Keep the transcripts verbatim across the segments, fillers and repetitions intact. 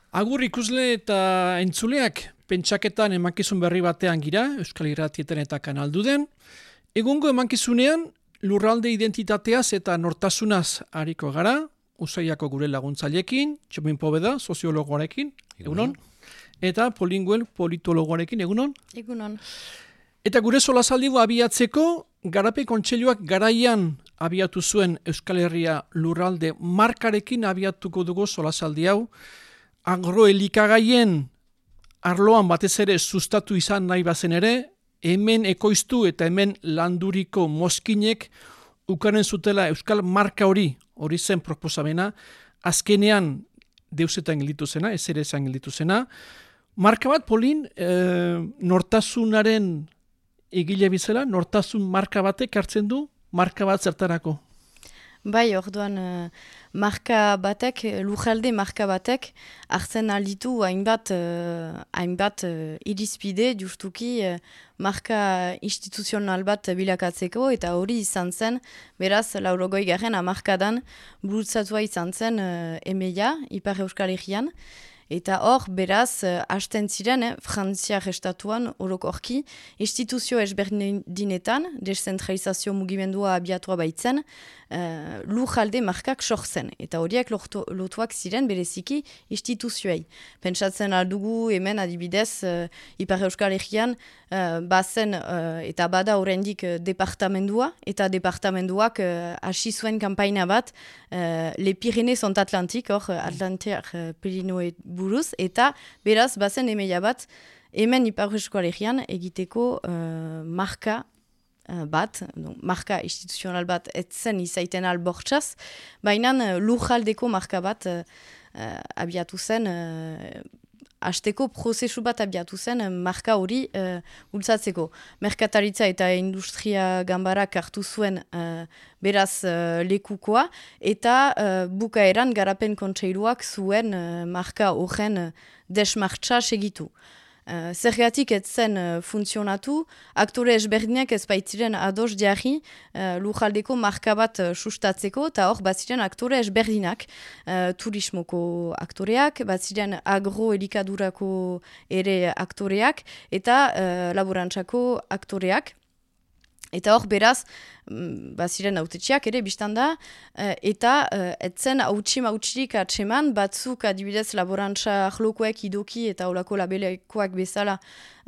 Agur ikusle eta entzuleak, pentsaketan emankizun berri batean gira, Euskal Irratietan eta Kanalduden. Egungo emankizunean, lurralde identitateaz eta nortasunaz hariko gara, Usaiako gure laguntzailekin, Txomin Pobeda, soziologoarekin, egunon, eta Polinguel politologoarekin, egunon. Egunon. Eta gure solasaldigo abiatzeko, Garapen Kontseiluak garaian abiatu zuen Euskal Herria lurralde markarekin abiatuko dugu solasaldi hau, agroelikagaien arloan batez ere sustatu izan nahi bazen ere, hemen ekoiztu eta hemen landuriko mozkinek ukanen zutela Euskal marka hori, hori zen proposamena, azkenean deusetan gelditu zena, ez ere esan gelditu zena. Marka bat, Polin, e, nortasunaren egile bizela, nortasun marka batek hartzen du, marka bat zertarako? Bai, orduan, uh, marka batek, lujalde marka batek, hartzen alditu hainbat, uh, hainbat uh, irizpide, justuki, uh, marka instituzional bat bilakatzeko, eta hori izan zen, beraz, laurogoi garen amarkadan, bultzatua izan zen uh, emeia, Ipar Euskal Herrian, eta hor, beraz, uh, hasten ziren, eh, Frantziar estatuan, orokorki, instituzio ezberdinetan, deszentralizazio mugimendua abiatua baitzen, uh, lujalde markak sortzen. Eta horiek lortu, lotuak ziren bereziki instituzioei. Pentsatzen aldugu hemen adibidez, uh, Ipar Euskal Herrian, uh, bazen uh, eta bada oraindik uh, departamendua, eta departamenduak uh, hasi zuen kanpaina bat, uh, Le Pyrénées sont Atlantik, hor, Atlantiak uh, Pirinoe buruz, eta beraz, bazen emeia bat, hemen Ipar Euskal Herrian egiteko uh, marka uh, bat, donc, marka instituzional bat etzen izaiten albortzaz, baina uh, lujaldeko marka bat uh, uh, abiatu zen, uh, hasteko prozesu bat abiatu zen uh, marka hori uh, bultzatzeko. Merkataritza eta industria ganbarak hartu zuen uh, beraz uh, lekukoa, eta uh, bukaeran Garapen Kontseiluak zuen uh, marka horren uh, desmartza segitu. Uh, Zergatik ez zen uh, funtzionatu, aktore ezberdinak ez baitziren ados jarri uh, lujaldeko marka bat uh, sustatzeko, eta hor batziren aktore ezberdinak, uh, turismoko aktoreak, batziren agroelikadurako ere aktoreak, eta uh, laborantzako aktoreak. Eta hor beraz, baziren autetxiak ere biztanda, eta etzen hautsi mautxirik atseman, batzuk adibidez laborantza ahlokoek idoki eta olako labelekoak bezala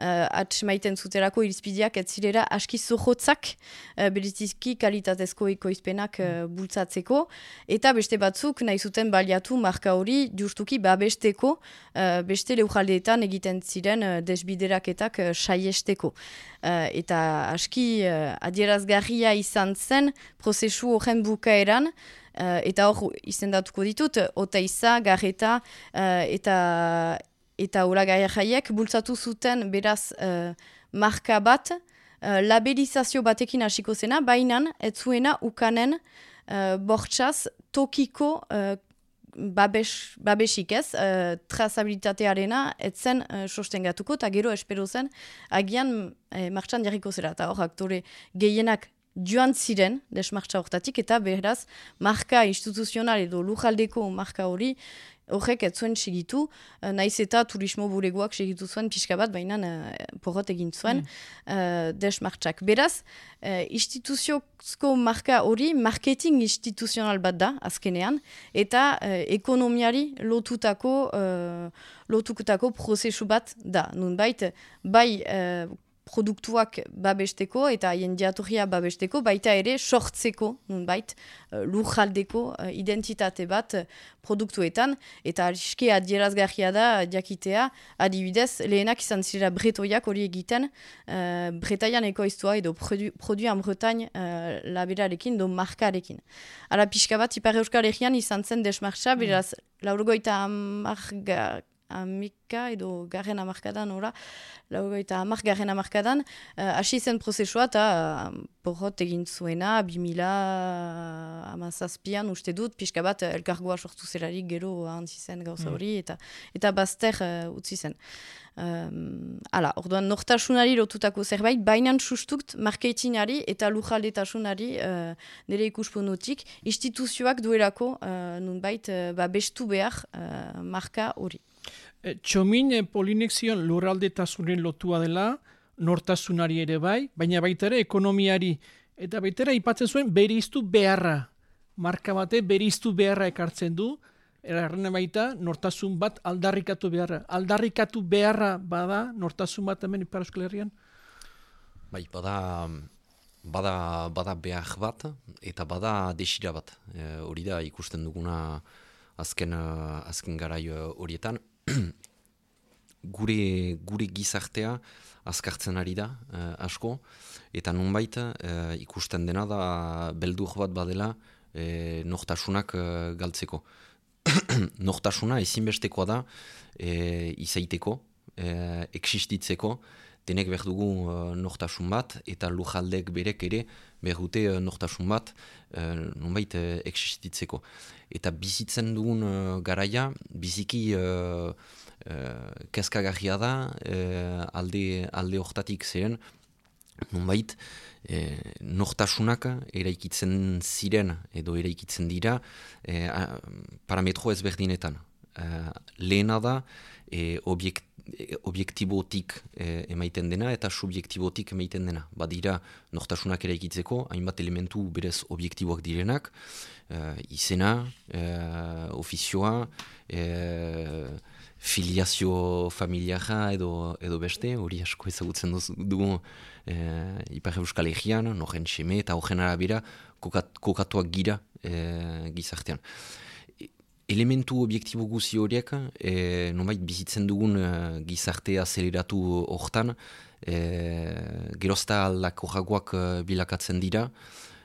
uh, atsemaiten zuterako irizpideak ez zirera aski zohotzak, uh, beriziki kalitatezko ekoizpenak uh, bultzatzeko, eta beste batzuk nahi zuten baliatu marka hori justuki babesteko, uh, beste leujaldeetan egiten ziren uh, desbideraketak uh, saiesteko. Uh, eta aski uh, adierazgarria izan zen prozesu horren bukaeran, uh, eta hor izendatuko ditut, Oteiza, Garreta uh, eta eta Olagarria jaiek bultzatu zuten beraz uh, marka bat, uh, labelizazio batekin hasiko zena, baina ez zuena ukanen uh, bortxaz tokiko uh, Babes, babesik ez, uh, trazabilitatearena etzen uh, sostengatuko, eta gero espero zen agian eh, martxan jarriko zera, eta hor aktore gehienak joan ziren desmartxa hortatik, eta beraz marka instituzional edo lujaldeko marka hori horrek ez zuen segitu, uh, naiz eta turismo bulegoak segitu zuen pixka bat, baina uh, porrot egin zuen mm. uh, desmartxak. Beraz, uh, instituziozko marka hori marketing instituzional bat da, azkenean, eta uh, ekonomiari lotutako, uh, lotutako prozesu bat da. Nunbait, bai uh, produktuak babesteko eta haien diatorria babesteko, baita ere sortzeko, nunbait, uh, lujaldeko uh, identitate bat uh, produktuetan, eta ariske adierazgarria da jakitea, adibidez, lehenak izan zirela bretoiak hori egiten, uh, Bretaian ekoiztua edo produ, produan Bretagne uh, laberarekin, do markarekin. Ala pixka bat, Ipar Euskal Herrian izan zen desmartza, mm. beraz, laurogoita amarga amika edo garren amarkadan, ora, laurogeita amar garren amarkadan, hasi uh, zen prozesua eta uh, porrot egin zuena, bi mila hamazazpian uste dut, pixka bat elkargoa sortu zelarik gero ahantzi zen gauza hori, eta, eta bazter uh, utzi zen. Um, ala, orduan, nortasunari lotutako zerbait, bainan sustukt marketinari eta lujaldetasunari uh, nire ikuspunutik, instituzioak duelako uh, nunbait uh, ba, bestu behar uh, marka hori. E, txomin e, Polinezion lurraldetasunen lotua dela, nortasunari ere bai, baina baita ere ekonomiari, eta baita ere aipatzen zuen bereiztu beharra. Marka bate bereiztu beharra ekartzen du, erarren baita nortasun bat aldarrikatu beharra. Aldarrikatu beharra bada nortasun bat hemen Ipar Euskal Herrian? Bai, bada, bada, bada behar bat eta bada desira bat. E, hori da ikusten duguna azken, azken garai horietan. gure, gure gizartea azkartzen ari da eh, asko, eta nunbait eh, ikusten dena da beldur bat badela eh, nortasunak eh, galtzeko. Nortasuna ezinbestekoa da e, izaiteko, e, existitzeko, denek behar dugu e, nortasun bat, eta lujaldek berek ere behar dute e, nortasun bat e, nonbait e, existitzeko. Eta bizitzen dugun e, garaia, biziki e, e, kezkagarria da, e, alde, alde hortatik zeren, nonbait, e, nortasunak eraikitzen ziren edo eraikitzen dira e, a, parametro ezberdinetan. E, lehena da e, objekt, e, objektibotik e, emaiten dena eta subjektibotik emaiten dena. Badira nortasunak eraikitzeko, hainbat elementu berez objektiboak direnak, e, izena, e, ofizioa, e, filiazio familiara edo, edo beste, hori asko ezagutzen dugu e, Ipar Euskal Herrian, noren seme eta horren arabera kokat, kokatuak gira e, gizartean. E, elementu objektibo guzi horiek, e, nonbait bizitzen dugun e, gizarte azeleratu hortan, e, gerozta aldakorragoak e, bilakatzen dira,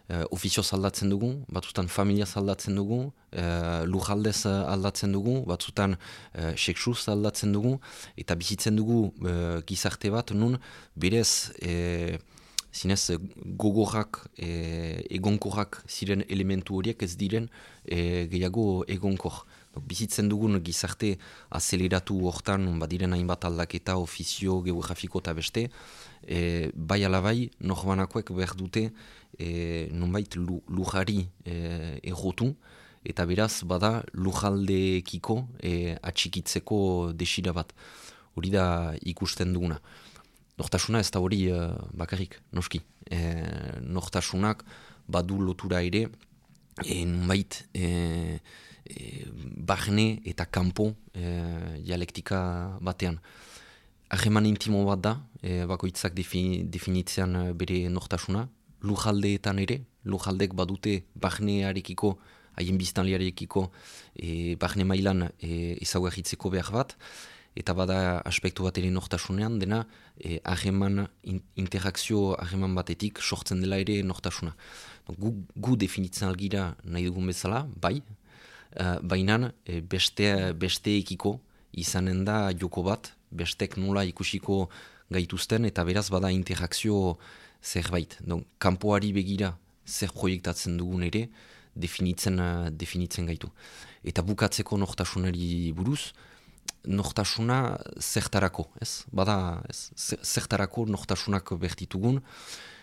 Uh, ofizioz aldatzen dugu, batzutan familiaz aldatzen dugu, uh, lujaldez aldatzen dugu, batzutan uh, seksuz aldatzen dugu, eta bizitzen dugu uh, gizarte bat, nun berez e, zinez gogorrak, e, egonkorrak ziren elementu horiek ez diren e, gehiago egonkor. Bizitzen dugun gizarte azeleratu hortan, badiren hainbat aldaketa, ofizio, geografiko eta beste, e, bai alabai, norbanakoek behar dute e, nonbait lujari e, errotu, eta beraz bada lujaldeekiko e, atxikitzeko desira bat. Hori da ikusten duguna. Nortasuna ez da hori e, bakarrik, noski. E, nortasunak badu lotura ere, e, nonbait e, E, barne eta kanpo e, dialektika batean. Harreman intimo bat da, e, bakoitzak defini, definitzean bere nortasuna. Lujaldeetan ere, lujaldek badute barnearekiko, haien biztanlearekiko e, barne mailan e, ezaugarritzeko behar bat, eta bada aspektu bat ere nortasunean, dena e, harreman, in, interakzio harreman batetik sortzen dela ere nortasuna. Gu, gu definitzen algira nahi dugun bezala, bai, Uh, baina e, beste, besteekiko izanen da joko bat, bestek nola ikusiko gaituzten, eta beraz bada interakzio zerbait. Don, kanpoari begira zer proiektatzen dugun ere, definitzen, uh, definitzen gaitu. Eta bukatzeko nortasunari buruz, nortasuna zertarako, ez? Bada, ez? Zertarako nortasunak bertitugun,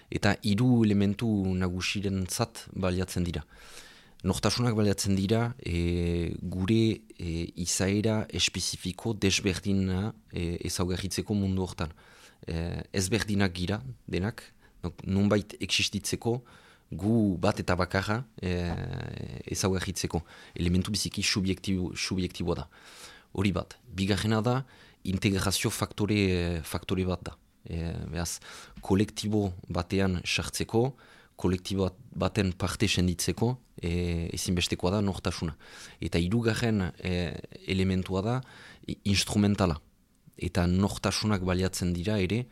eta hiru elementu nagusiren zat baliatzen dira. Nortasunak baliatzen dira e, gure e, izaera espezifiko desberdina e, ezaugarritzeko mundu hortan. E, ezberdinak gira denak, nonbait existitzeko gu bat eta bakarra e, ezaugarritzeko. Elementu biziki subjektibo, subjektiboa da. Hori bat. Bigarrena da integrazio faktore, faktore bat da. E, behaz, kolektibo batean sartzeko, kolektibo baten parte senditzeko e, ezinbestekoa da nortasuna. Eta hirugarren e, elementua da instrumentala. Eta nortasunak baliatzen dira ere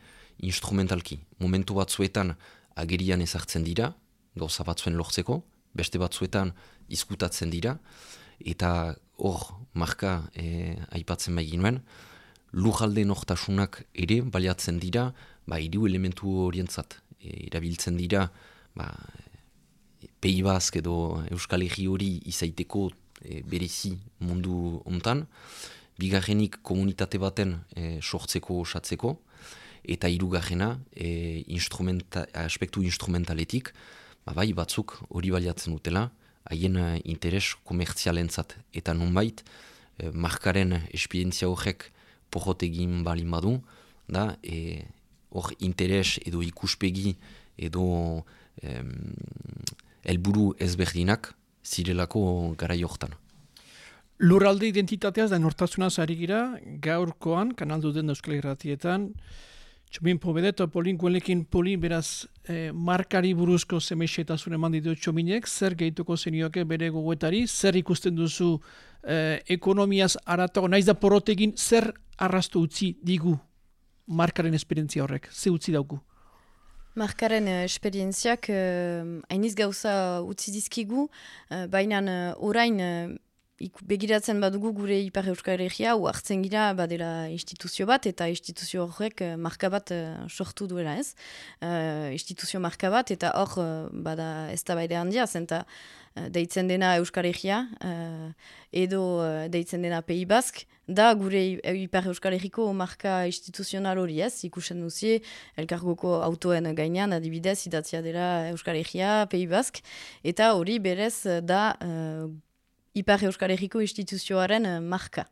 instrumentalki. Momentu batzuetan agerian ezartzen dira, gauza batzuen lortzeko, beste batzuetan izkutatzen dira, eta hor marka e, aipatzen bai ginuen, lujalde nortasunak ere baliatzen dira ba, hiru elementu horientzat. e, irabiltzen dira ba, Pei Bask edo Euskal Herri hori izaiteko e, berezi mundu hontan, bigarrenik komunitate baten e, sortzeko osatzeko, eta hirugarrena e, instrumenta, aspektu instrumentaletik, ba, bai batzuk hori baliatzen dutela, haien interes komertzialentzat. Eta nonbait, e, markaren esperientzia horrek porrot egin balin badu, da e, hor interes edo ikuspegi edo em, helburu ezberdinak zirelako garai hortan. Lurralde identitateaz da nortasunaz ari gira, gaurkoan, kanaldu den Euskal Irratietan, Txomin Pobede eta Polin Guenlekin Polin, beraz, eh, markari buruzko zemexetasun eman ditu Txominek, zer gehituko zenioke bere gogoetari, zer ikusten duzu eh, ekonomiaz aratago, naiz da porotegin, zer arrastu utzi digu markaren esperientzia horrek, ze utzi dauku? Markaren uh, esperientziak hainiz uh, gauza utzi dizkigu, uh, baina uh, orain uh, begiratzen badugu gure Ipar Euskal Herria, hartzen gira badela instituzio bat, eta instituzio horrek uh, marka bat uh, sortu duela ez. Uh, instituzio marka bat, eta hor uh, bada eztabaide handia, zenta uh, deitzen dena Euskal Herria, uh, edo uh, deitzen dena Pei Bask, da gure Ipar Euskal Herriko marka instituzional hori ez, ikusen duzie, elkargoko autoen gainean, adibidez, idatzia dela Euskal Herria, Pei Bask, eta hori berez da uh, Ipar Euskal Herriko instituzioaren uh, marka.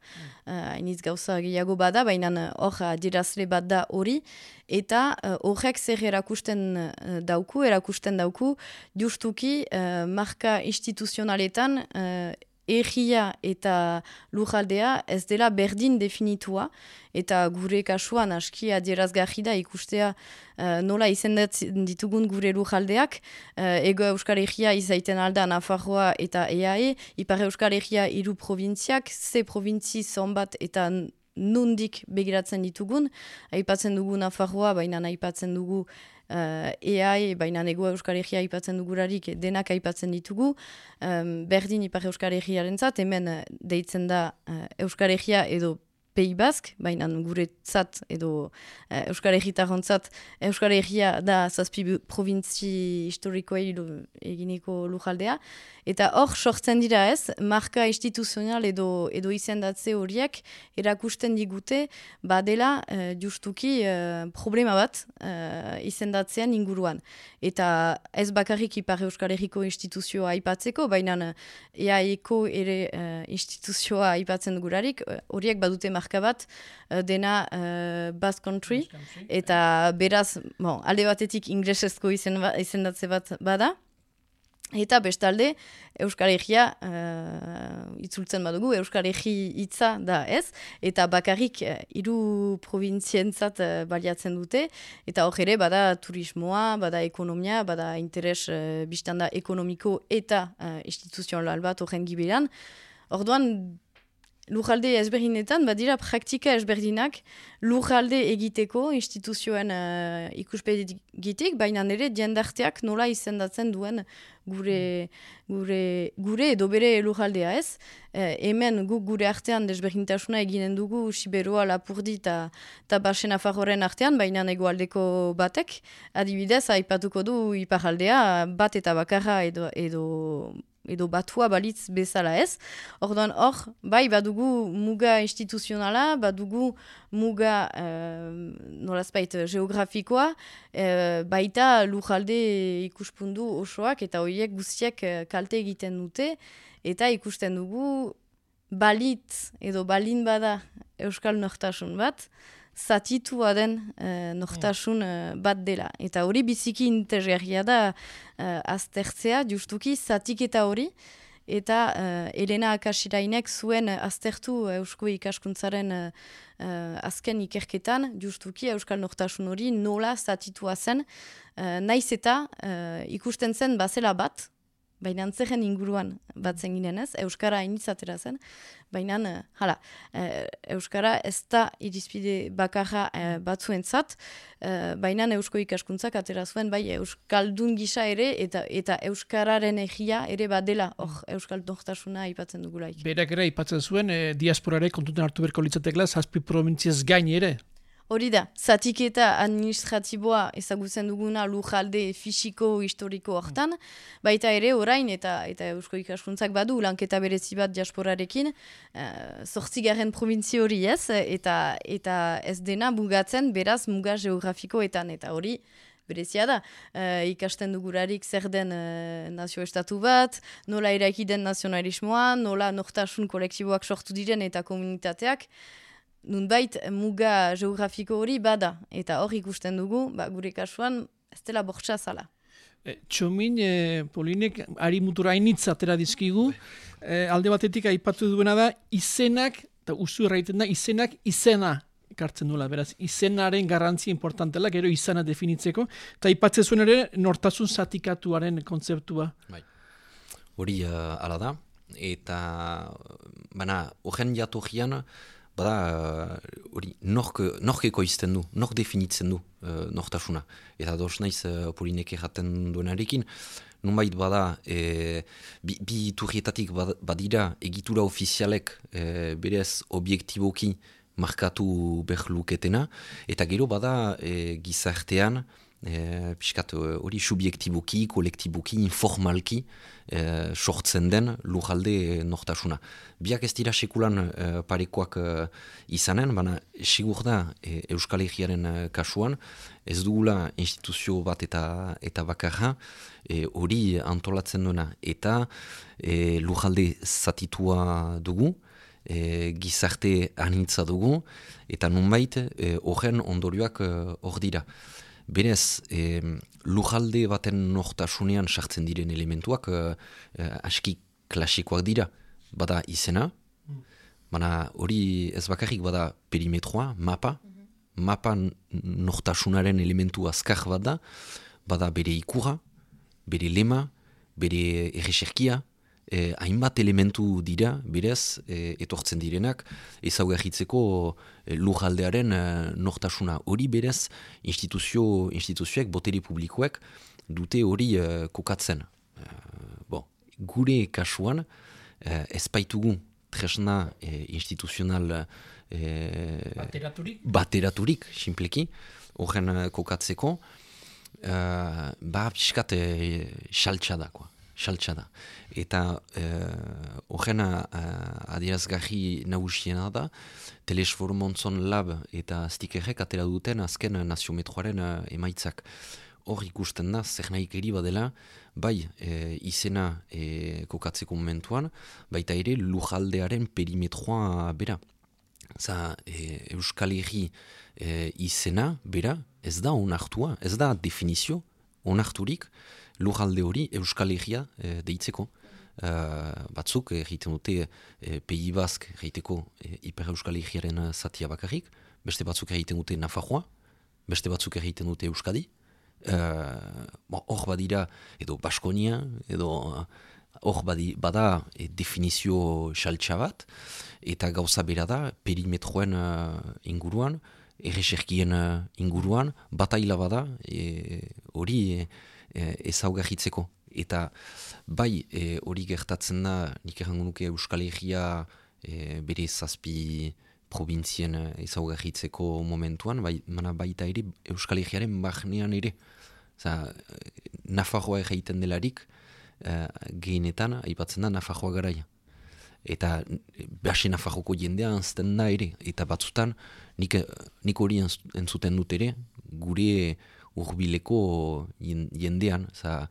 Hainiz uh, gauza gehiago bada, baina hor uh, adierazle bat da hori, eta horrek uh, zer erakusten uh, dauku, erakusten dauku, justuki uh, marka instituzionaletan uh, erria eta lujaldea ez dela berdin definitua, eta gure kasuan aski adierazgarri da ikustea uh, nola izendatzen ditugun gure lujaldeak, uh, Ego Euskal Herria izaiten alda Nafarroa eta E A E, Ipar Euskal Herria hiru provintziak, ze provintzi zonbat eta nundik begiratzen ditugun, aipatzen dugu Nafarroa, baina aipatzen dugu Uh, E A E, baina Ego Euskal Herria aipatzen dugularik denak aipatzen ditugu, um, berdin Ipar Euskal Herriaren zat, hemen deitzen da uh, Euskal Herria edo Pei Bask, baina guretzat edo uh, Euskal Herritarrontzat Euskal Herria da zazpi provintzi historikoei eginiko lujaldea, eta hor sortzen dira ez, marka instituzional edo, edo izendatze horiek erakusten digute badela uh, justuki uh, problema bat uh, izendatzean inguruan. Eta ez bakarrik Ipar Euskal Herriko instituzioa aipatzeko, baina E A Eko ere uh, instituzioa aipatzen dugularik, horiek uh, badute marka bat uh, dena uh, Basque Country, eta beraz, bon, alde batetik inglesezko izen, izendatze bat bada, eta bestalde Euskal Herria uh, itzultzen badugu, Euskal Herri hitza da ez, eta bakarrik uh, hiru provintzientzat uh, baliatzen dute, eta hor ere bada turismoa, bada ekonomia, bada interes uh, biztanda ekonomiko eta uh, instituzional bat horren giberan. Orduan, lujalde ezberdinetan, badira praktika ezberdinak lujalde egiteko instituzioen uh, ikuspegitik, baina nire diendarteak nola izendatzen duen gure, gure, gure edo bere lujaldea ez. Uh, hemen guk gure artean desberdintasuna eginen dugu Siberoa, Lapurdi eta Basen Nafarroaren artean, baina hegoaldeko batek, adibidez, aipatuko du iparaldea bat eta bakarra edo, edo edo batua balitz bezala ez. Orduan hor, bai, badugu muga instituzionala, badugu muga uh, nolazpait geografikoa, uh, baita lujalde ikuspundu osoak eta horiek guztiak uh, kalte egiten dute, eta ikusten dugu balitz edo balin bada Euskal nortasun bat, zatitua den uh, nortasun uh, bat dela. Eta hori biziki interesgarria da uh, aztertzea, justuki zatiketa hori, eta uh, Elena Akasirainek zuen aztertu uh, Eusko ikaskuntzaren uh, uh, azken ikerketan, justuki Euskal nortasun hori nola zatitua zen, uh, naiz eta uh, ikusten zen bazela bat, baina antzeren inguruan batzen ginen ez, Euskara initzatera zen, baina, hala, e, Euskara ez da irizpide bakarra e, batzuentzat, e, baina Eusko ikaskuntzak atera zuen, bai, Euskaldun gisa ere, eta eta Euskararen egia ere badela, hor, Euskal nortasuna aipatzen dugulaik. Berak ere aipatzen zuen, e, diasporare kontuten hartu berko litzatekla, zazpi provintziaz gain ere. Hori da, zatiketa administratiboa ezagutzen duguna lujalde fisiko historiko hortan, baita ere orain eta eta Eusko Ikaskuntzak badu lanketa berezi bat diasporarekin, uh, zortzigarren provintzio hori ez, eta, eta ez dena mugatzen beraz muga geografikoetan, eta hori berezia da, uh, ikasten dugurarik zer den uh, nazio-estatu bat, nola eraiki den nazionalismoa, nola nortasun kolektiboak sortu diren eta komunitateak, nunbait muga geografiko hori bada, eta hor ikusten dugu, ba, gure kasuan ez dela bortxa zala. E, Txomin, e, Polinek, ari mutura hainitza atera dizkigu, e, alde batetik aipatu duena da, izenak, eta usu erraiten da, izenak izena ekartzen duela, beraz, izenaren garrantzia importantela, gero izana definitzeko, eta aipatzen zuen ere, nortasun zatikatuaren kontzeptua. Bai. Hori uh, ala da, eta, bana, horren jatorrian, bada, hori, nork, nork ekoizten du, nork definitzen du uh, nortasuna. Eta dos naiz uh, Polinek erraten duenarekin, nunbait bada, e, bi, bi iturrietatik badira egitura ofizialek e, berez objektiboki markatu behar luketena, eta gero bada e, gizartean, E, piskat hori subjektiboki, kolektiboki, informalki e, sortzen den lujalde nortasuna. Biak ez dira sekulan e, parekoak e, izanen, baina sigur da e, Euskal Herriaren e, kasuan, ez dugula instituzio bat eta eta bakarra e, hori antolatzen duena. Eta e, lujalde zatitua dugu, e, gizarte anitza dugu, eta nunbait horren e, ondorioak hor dira. Berez, eh, lujalde baten nortasunean sartzen diren elementuak eh, eh, aski klasikoak dira. Bada izena, mm. baina hori ez bakarrik bada perimetroa, mapa, mm-hmm. mapa nortasunaren elementu azkar bat da, bada bere ikura, bere lema, bere erreserkia, Eh, hainbat elementu dira, berez, eh, etortzen direnak, ezaugarritzeko eh, lujaldearen eh, nortasuna. Hori berez, instituzio, instituzioek, botere publikoek, dute hori eh, kokatzen. Eh, bon, gure kasuan, eh, ez baitugu tresna eh, instituzional eh, bateraturik, bateraturik simpleki, horren eh, kokatzeko, eh, ba, piskat eh, xaltsa da, xaltsa da. Eta horren uh, adierazgarri nagusiena da, Telesfor Montzon Lab eta Stikerrek atera duten azken naziometroaren uh, emaitzak. Hor ikusten da, zer nahik eri badela, bai e, izena e, kokatzeko momentuan, baita ere lujaldearen perimetroa bera. Za, e, Euskal Herri e, izena bera, ez da onartua, ez da definizio, onarturik, lujalde hori Euskal Herria e, deitzeko. Uh, batzuk egiten dute e, Pei Bask egiteko e, Hiper Euskal Herriaren zatia bakarrik, beste batzuk egiten dute Nafarroa, beste batzuk egiten dute Euskadi, hor uh, badira edo Baskonia, edo hor badi, bada e, definizio xaltsa bat, eta gauza bera da perimetroen uh, inguruan, erreserkien uh, inguruan, bataila bada hori e, e, ezaugarritzeko. Eta bai hori e, gertatzen da, nik errango nuke Euskal Herria e, bere zazpi provintzien ezaugarritzeko momentuan, bai, mana baita ere Euskal Herriaren barnean ere. Za, Nafarroa egiten delarik, e, gehienetan, aipatzen da Nafarroa garaia. Eta behase Nafarroko jendea anzten da ere, eta batzutan nik, nik hori entzuten dut ere, gure hurbileko jendean, za,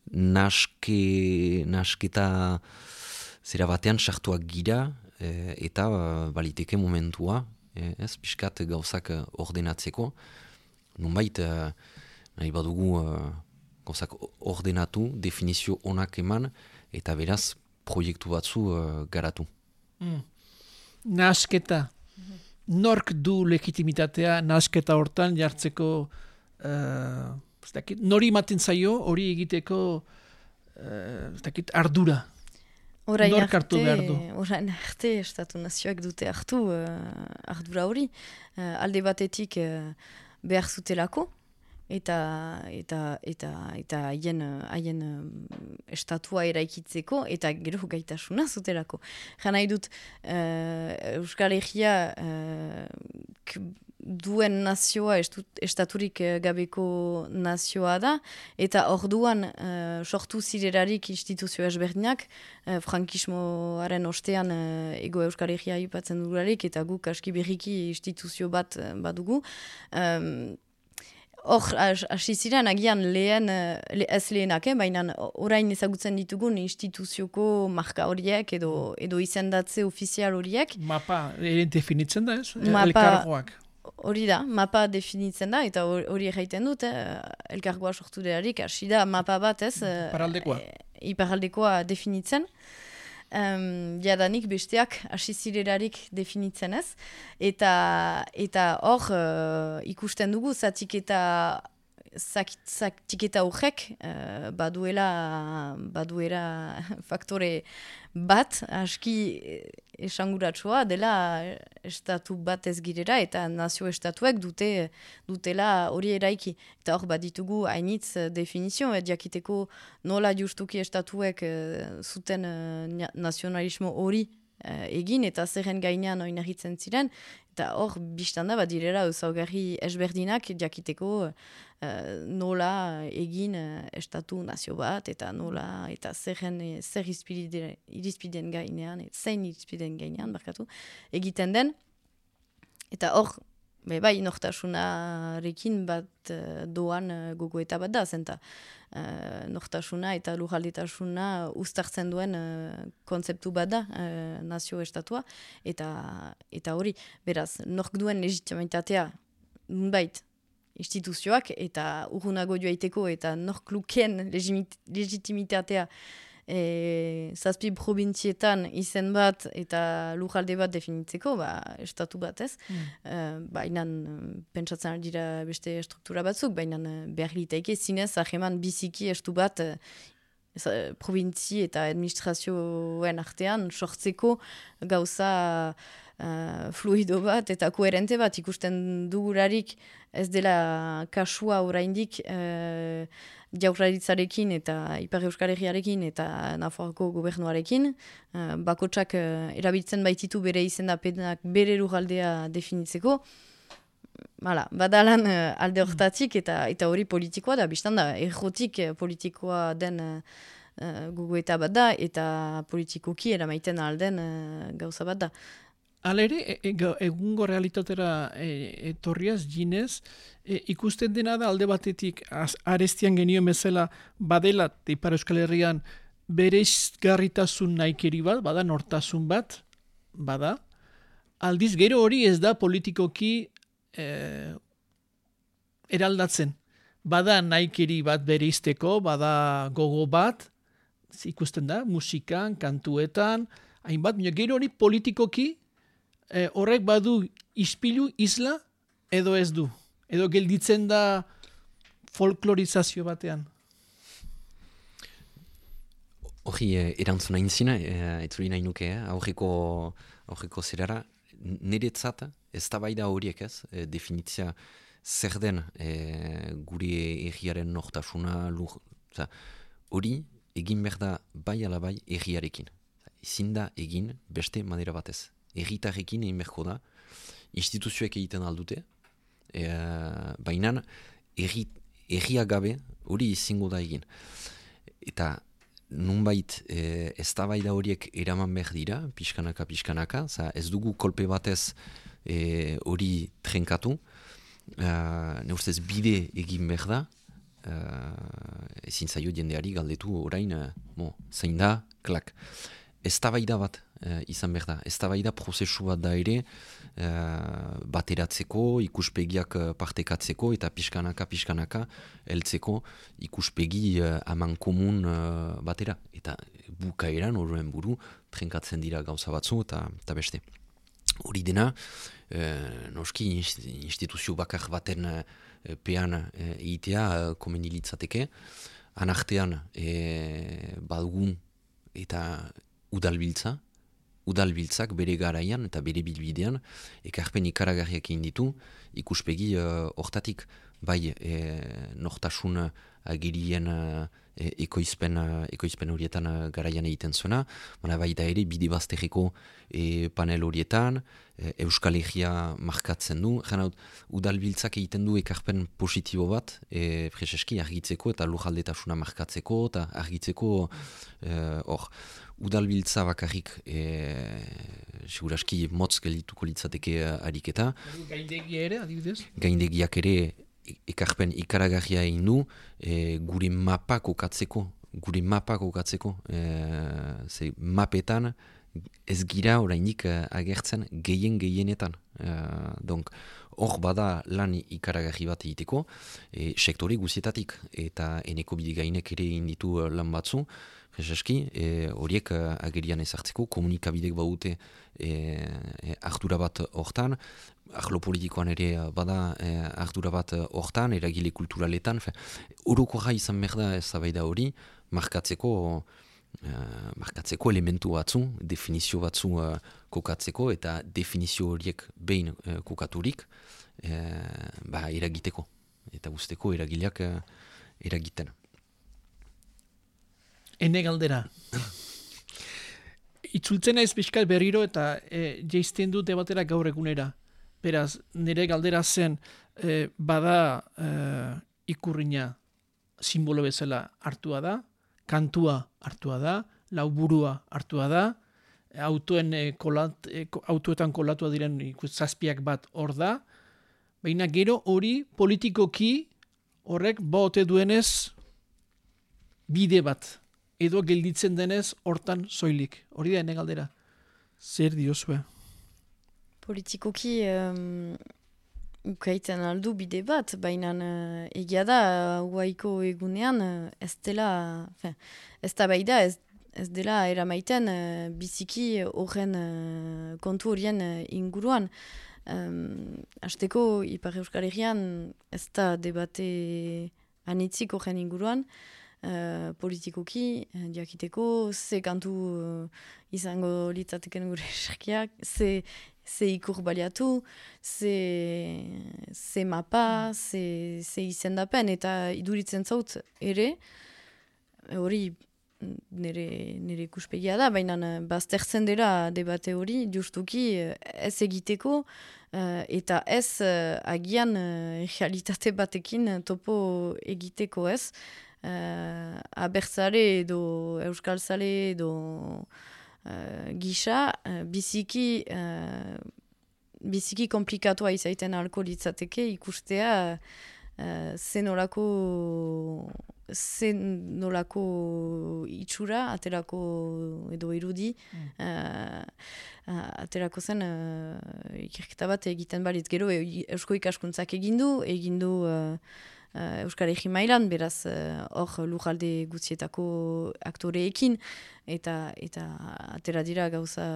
Naske, nasketa zera batean sartuak gira e, eta baliteke momentua, e, ez, pixkat gauzak ordenatzeko. Nunbait, e, nahi badugu e, gauzak ordenatu, definizio onak eman, eta beraz proiektu batzu e, garatu. Mm. Nasketa. Nork du legitimitatea nasketa hortan jartzeko... Uh... Nori ematen zaio, hori egiteko uh, ardura. Orain Nork hartu behar du. Orain arte, estatu nazioak dute hartu uh, ardura hori. Uh, alde batetik uh, behar zutelako, eta eta eta eta haien haien estatua eraikitzeko, eta gero gaitasuna zutelako. Jan nahi dut, uh, Euskal Herria uh, duen nazioa, estu, estaturik gabeko nazioa da, eta orduan uh, sortu zirerarik instituzio ezberdinak, uh, frankismoaren ostean uh, Ego Euskal Herria aipatzen dugularik, eta guk aski berriki instituzio bat uh, badugu. Um, Hor, hasi ziren, agian lehen, le, ez lehenak, eh? Baina orain ezagutzen ditugun instituzioko marka horiek edo, edo izendatze ofizial horiek. Mapa ere definitzen da ez? Mapa, elkargoak. Hori da, mapa definitzen da, eta hori erraiten dut, eh? Elkargoa sortu delarik, hasi da mapa bat ez? Iparraldekoa. E, iparraldekoa definitzen. Um, jadanik besteak hasi zirelarik definitzen ez, eta eta hor uh, ikusten dugu zatiketa zatiketa horrek uh, baduela baduela faktore bat aski esanguratsua dela estatu bat ez girera eta nazio estatuek dute dutela hori eraiki. Eta hor bat ditugu hainitz definizio, et jakiteko nola justuki estatuek uh, zuten uh, nazionalismo hori uh, egin eta zerren gainean oinarritzen ziren. Eta hor, biztan da, bat direla, ezaugarri ezberdinak jakiteko uh, nola egin uh, estatu nazio bat, eta nola, eta zerren, zer irizpideen gainean, zein irizpideen gainean, barkatu, egiten den. Eta hor, be, bai, nortasunarekin bat uh, doan uh, gogoeta bat da, zenta uh, nortasuna eta lurraldetasuna uztartzen duen uh, kontzeptu bat da uh, nazio estatua, eta eta hori, beraz, nork duen legitimitatea nunbait instituzioak, eta urrunago joaiteko, eta nork lukeen legitimitatea E, zazpi probintzietan izen bat eta lurralde bat definitzeko, ba, estatu bat ez. Mm. E, baina pentsatzen ari dira beste struktura batzuk, baina behar litaike zinez aheman biziki estu bat e, probintzi eta administrazioen artean sortzeko gauza uh, fluido bat eta koherente bat ikusten dugularik ez dela kasua oraindik uh, jaurlaritzarekin eta Ipar Euskal Herriarekin eta Nafarroako gobernuarekin. Uh, bakotsak uh, erabiltzen baititu bere izendapenak bere lurraldea definitzeko. Hala, badalan uh, alde hortatik eta eta hori politikoa da, biztan da, errotik politikoa den uh, uh, gogoeta bat da, eta politikoki eramaiten alden uh, gauza bat da. Alere, e, e, egungo realitatera e, etorriaz, ginez, e, ikusten dena da alde batetik az, arestian genio bezala badela Ipar Euskal Herrian bereizgarritasun nahikeri bat, bada nortasun bat, bada. Aldiz, gero hori ez da politikoki e, eraldatzen. Bada nahikeri bat bereizteko, bada gogo bat, ikusten da, musikan, kantuetan, hainbat, gero hori politikoki E, horrek badu ispilu isla edo ez du. Edo gelditzen da folklorizazio batean. Hori, eh, erantzuna intzina, eh, etzuri nahi nuke, eh, aurriko, aurriko zerara, niretzat ez da bai da horiek ez, eh, definitzia zer den eh, gure erriaren nortasuna, lur, hori egin behar da bai ala bai erriarekin. Ezin da egin beste manera batez. Erritarrekin egin beharko da, instituzioek egiten aldute, e, baina erria gabe hori izingo da egin. Eta nunbait e, ez da bai da horiek eraman behar dira, pixkanaka, pixkanaka, za ez dugu kolpe batez e, hori trenkatu, e, ne ustez bide egin behar da, e, ezin zaio jendeari galdetu orain, e, mo, zein da, klak. Ez da bai da bat uh, izan behar da. Ez da bai da prozesu bat da ere uh, bateratzeko, ikuspegiak uh, partekatzeko eta pixkanaka, pixkanaka heltzeko ikuspegi uh, aman komun uh, batera. Eta bukaeran horren buru trenkatzen dira gauza batzu eta, eta beste. Hori dena, uh, noski instituzio bakar baten uh, pean uh, egitea uh, komendilitzateke. Anartean uh, badugun eta udalbiltza, udalbiltzak bere garaian eta bere bilbidean ekarpen ikaragarriak egin ditu ikuspegi hortatik uh, bai e, nortasun agirien uh, e, ekoizpen, uh, ekoizpen horietan uh, garaian egiten zuena, baina baita ere bide bazterreko e, panel horietan, e, Euskal Herria markatzen du, jena udalbiltzak egiten du ekarpen positibo bat, e, freseski argitzeko eta lujaldetasuna markatzeko, eta argitzeko hor, udalbiltza bakarrik e, seguraski motz geldituko litzateke ariketa. Gaindegia ere, adibidez? Gaindegiak ere ekarpen ikaragarria egin du, e, gure mapak okatzeko, gure mapak okatzeko, e, ze mapetan ez gira orainik agertzen gehien gehienetan. E, donc, hor bada lan ikaragarri bat egiteko, e, sektore guzietatik, eta eneko bidigainek ere egin ditu lan batzu, Eski, horiek e, agerian ezartzeko, komunikabidek baute e, e, ardura bat hortan, arlo politikoan ere bada e, ardura bat hortan, eragile kulturaletan, oroko jai izan behar da eztabaida hori, markatzeko, e, markatzeko elementu batzu, definizio batzu e, kokatzeko, eta definizio horiek behin e, kokaturik, e, ba, eragiteko, eta guzteko eragileak e, eragiten. Ene galdera. Itzultzen naiz pixkat berriro eta e, jeizten dut debatera gaur egunera. Beraz, nire galdera zen e, bada e, ikurrina simbolo bezala hartua da, kantua hartua da, lauburua hartua da, autoen, e, kolat, e, autoetan kolatua diren zazpiak bat hor da, baina gero hori politikoki horrek baote duenez bide bat. Edo gelditzen denez hortan soilik. Hori da ene galdera. Zer diozue? Politikoki um, ukaiten aldu bide bat, baina uh, egia da huaiko egunean uh, ez dela, fin, ez da baida, ez, ez dela eramaiten uh, biziki horren uh, kontu horien uh, inguruan. Um, Azteko Ipar Euskal Herrian ez da debate anitzik horren inguruan, Uh, politikoki, uh, diakiteko, ze kantu uh, izango litzateken gure esarkiak, ze, ze ikur baliatu, ze, ze mapa, ze, ze izendapen, eta iduritzen zaut ere, hori nire, nire ikuspegia da, baina baztertzen dela debate hori, justuki ez egiteko, uh, eta ez uh, agian uh, realitate batekin topo egiteko ez, Uh, abertzale edo euskalzale edo uh, gisa uh, biziki uh, biziki komplikatua izaiten alko litzateke ikustea uh, zenolako zenolako itxura aterako edo irudi mm. uh, uh, aterako zen uh, ikerketa bat egiten balitz gero e, eusko ikaskuntzak egindu egindu uh, Uh, Euskal Herri mailan, beraz hor uh, lujalde gutxietako aktoreekin, eta eta atera dira gauza,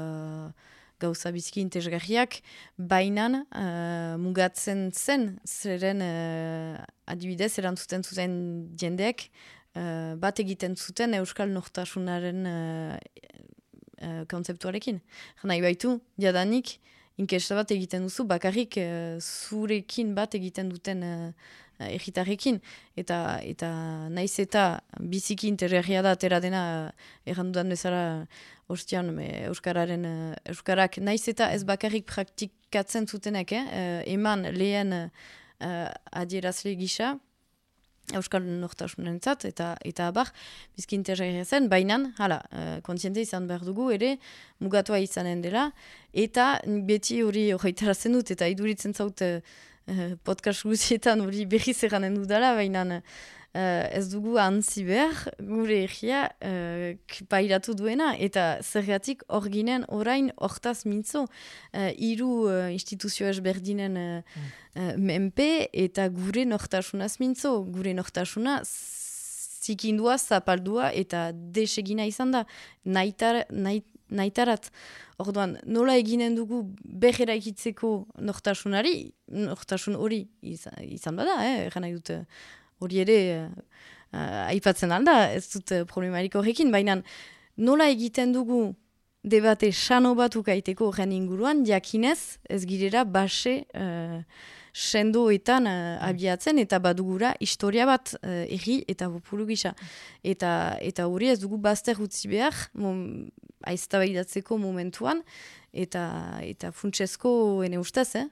gauza biziki interesgarriak, bainan uh, mugatzen zen, zeren uh, adibidez erantzuten zuten jendeek, uh, bat egiten zuten Euskal Nortasunaren uh, uh, kontzeptuarekin. Nahi baitu, jadanik, inkesta bat egiten duzu, bakarrik uh, zurekin bat egiten duten uh, egitarrekin, eta, eta naiz eta biziki interesgarria da atera dena errandudan bezala ostian Euskararen, Euskarak naiz eta ez bakarrik praktikatzen zutenek, eh? eman lehen uh, adierazle gisa Euskal Nortasunentzat, eta eta abar, bizki interesgarria zen, bainan, hala, uh, kontziente izan behar dugu ere, mugatua izanen dela, eta beti hori horretarazen dut, eta iduritzen zaut uh, podcast guzietan hori berriz eranen dudala, baina uh, ez dugu antzi behar, gure egia uh, pairatu duena, eta zergatik hor ginen orain hortaz mintzo, uh, hiru uh, instituzio ezberdinen uh, mm. uh, menpe, eta gure nortasunaz mintzo, gure nortasuna zikindua, zapaldua, eta desegina izan da, naitar, nait, naitarat. Orduan, nola eginen dugu behera ikitzeko nortasunari, nortasun hori izan, izan bada, eh? Egan nahi dut hori ere uh, aipatzen alda, ez dut problemarik horrekin, baina nola egiten dugu debate sano bat ukaiteko horren inguruan, jakinez ez girera base uh, sendoetan uh, abiatzen eta badugura historia bat uh, erri eta populu gisa. Eta, eta hori ez dugu bazter utzi behar, mom, aiztabaidatzeko momentuan, eta, eta funtsezko ene ustez, eh?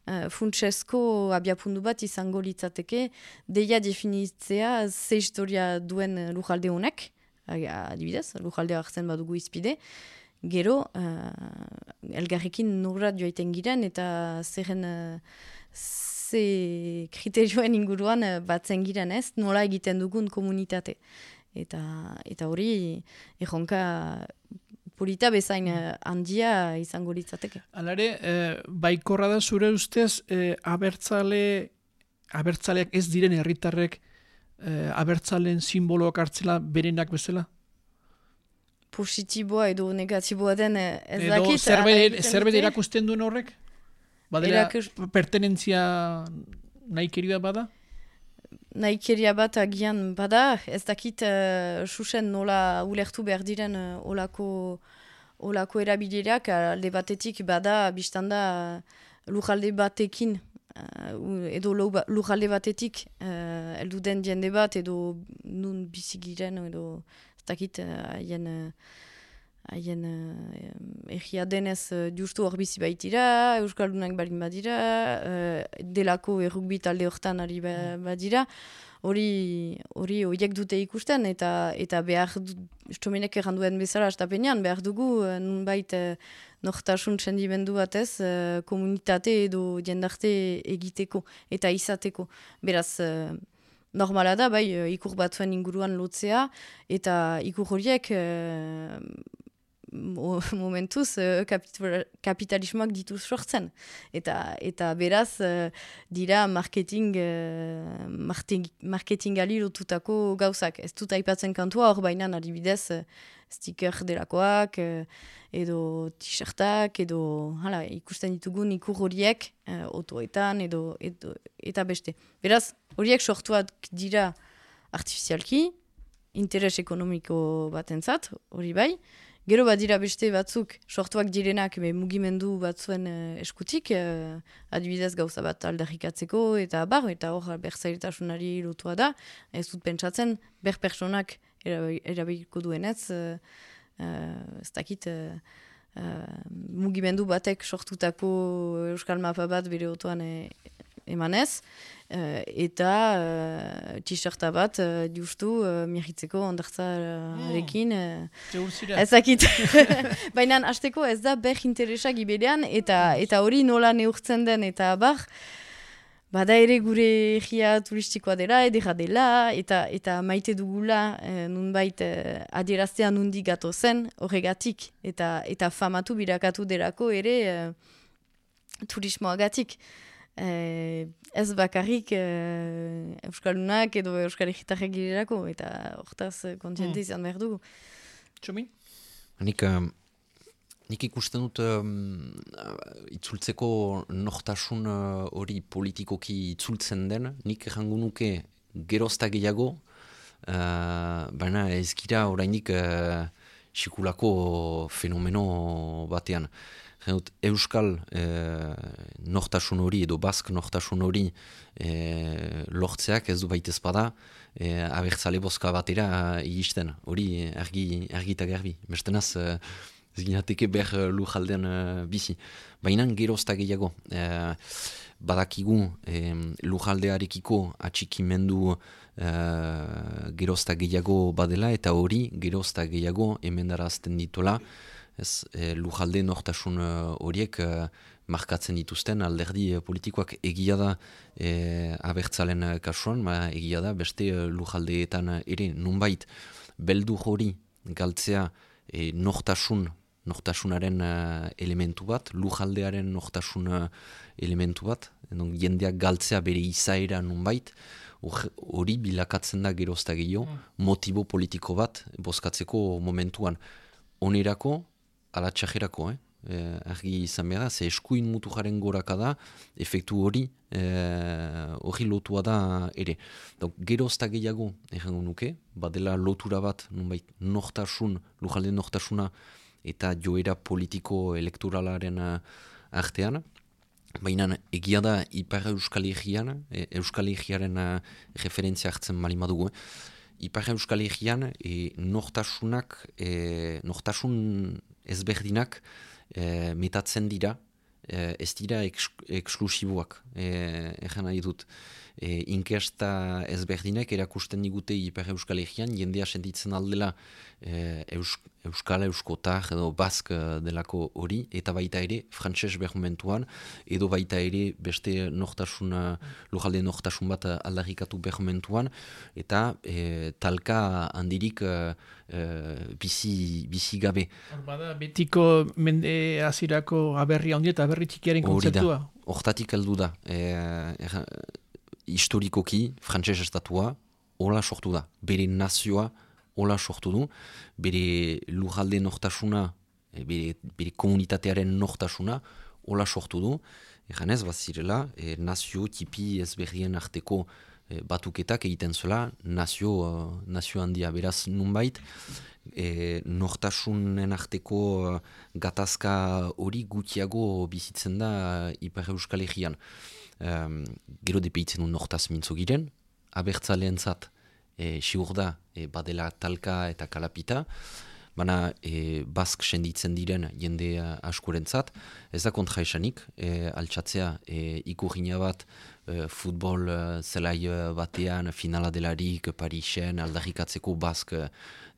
Uh, funtsezko abiapundu bat izango litzateke, deia definitzea ze historia duen lujalde honek, adibidez, lujaldea hartzen badugu izpide, gero, uh, elgarrekin nurra joaiten giren, eta zerren uh, ze kriterioen inguruan uh, batzen giren ez, nola egiten dugun komunitate. Eta, eta hori, erronka polita bezain uh, handia izango litzateke. Alare, eh, baikorra da zure ustez, eh, abertzale, abertzaleak ez diren herritarrek eh, abertzalen simboloak hartzela berenak bezala? Positiboa edo negatiboa den ez edo dakit. Edo zerbait erakusten duen horrek? Badera Erakus... pertenentzia nahikeria bada? Nahikeria bat agian bada, ez dakit uh, susen nola ulertu behar diren uh, olako, olako erabilerak, alde batetik bada, biztanda uh, lujalde batekin, uh, edo lujalde batetik uh, eldu den jende bat, edo nun bizigiren, edo ez dakit haien uh, haien uh, egia denez uh, justu hor bizi baitira, Euskaldunak balin badira, uh, delako errukbi talde hortan ari ba, badira, hori hori horiek dute ikusten, eta eta behar du, estomenek erranduen bezala astapenean, behar dugu uh, nunbait uh, nortasun txendimendu batez, uh, komunitate edo jendarte egiteko eta izateko. Beraz, uh, normala da, bai, ikur batzuen inguruan lotzea, eta ikur horiek uh, momentuz uh, kapitalismoak dituz sortzen. Eta, eta beraz, uh, dira marketing, uh, marketing, marketingali lotutako gauzak. Ez dut aipatzen kantua hor baina adibidez uh, sticker delakoak, uh, edo t-shirtak, edo hala, ikusten ditugun ikur horiek uh, otoetan, edo, edo, eta beste. Beraz, horiek sortuak dira artifizialki, interes ekonomiko batentzat, hori bai. Gero badira beste batzuk sortuak direnak be, mugimendu batzuen uh, eskutik, uh, adibidez gauza bat aldarrikatzeko, eta bar, eta hor berzailtasunari lotua da. Ez dut pentsatzen, ber personak erabiliko duenez, uh, uh, ez dakit, uh, uh, mugimendu batek sortutako euskal mapa bat bere otoan e, emanez, uh, eta uh, t-shirta bat uh, justu uh, miagitzeko ondartzarekin. Uh, ez dakit. Baina hasteko ez da ber interesak iberean, eta eta hori nola neurtzen den, eta bar, bada ere gure egia turistikoa dela, edera dela, eta, eta maite dugula eh, nunbait eh, adieraztea nundi gato zen horregatik, eta, eta famatu birakatu delako ere eh, turismoagatik. Eh, ez bakarrik eh, Euskaldunak edo Euskal Egitarrek girelako, eta hortaz kontziente mm. izan behar dugu. Txomin? Nik, uh, nik ikusten dut um, itzultzeko nortasun hori uh, politikoki itzultzen den, nik errango nuke gerozta gehiago, uh, baina ez gira orainik uh, sikulako fenomeno batean. Dut, Euskal eh, nortasun hori edo Bask nortasun hori eh, lortzeak ez du baitez bada eh, abertzale bozka batera iristen. Hori argi, argi eta garbi. Bestenaz eh, ez ginateke ber lujaldean eh, bizi. Baina gerozta gehiago. Eh, badakigu eh, lujaldearekiko atxikimendu eh, gerozta gehiago badela, eta hori gerozta gehiago emendarazten ditola. Ez, e, lujalde nortasun horiek e, markatzen dituzten alderdi e, politikoak egia da e, abertzalen kasuan, ma egia da beste e, lujaldeetan ere nunbait beldu hori galtzea e, nortasun, nortasunaren e, elementu bat, lujaldearen nortasun e, elementu bat, edon, jendeak galtzea bere izaera nunbait, hori bilakatzen da gerozta gehiago, mm. motibo politiko bat bozkatzeko momentuan. Onerako, ala txajerako, eh? eh, argi izan behar da, ze eskuin mutu jaren goraka da, efektu hori hori eh, lotua da ere. Donc, gerozta gehiago errango nuke, badela lotura bat, nunbait, nortasun, lujalde nortasuna eta joera politiko elektoralaren uh, artean. Baina egia da Ipar Euskal Herrian, e, Euskal Herriaren uh, referentzia hartzen malima dugu. Ipar Euskal Herrian e, nortasunak, e, nortasun ezberdinak e, metatzen dira, e, ez dira eks, eksklusiboak, e, egan nahi dut. E, inkesta ezberdinek erakusten digute Ipar Euskal Herrian, jendea sentitzen aldela e, Eus, Euskal, Euskotar edo Bask delako hori, eta baita ere frantses bermentuan, edo baita ere beste nortasun, lojalde nortasun bat aldarrikatu bermentuan, eta e, talka handirik e, e, bizi, bizi gabe. Bada, betiko mende azirako aberri handi eta aberri txikiaren kontzeptua. Hortatik heldu da. E, er, historikoki, frantses estatua, hola sortu da. Bere nazioa hola sortu du. Bere lurralde nortasuna, bere, bere komunitatearen nortasuna, hola sortu du. Egan ez, bazirela, e, nazio tipi ezberrien arteko e, batuketak egiten zela, nazio, uh, nazio handia. Beraz, nunbait, e, nortasunen arteko uh, gatazka hori gutiago bizitzen da uh, Ipar Euskal Herrian. Um, gero depeitzen du nortaz mintzo giren, abertzaleentzat e, sigur da e, badela talka eta kalapita, baina e, bask senditzen diren jende askorentzat, ez da kontra esanik, e, altxatzea e, ikurriña bat e, futbol e, zelai batean finala delarik Parisen aldarrikatzeko bask e,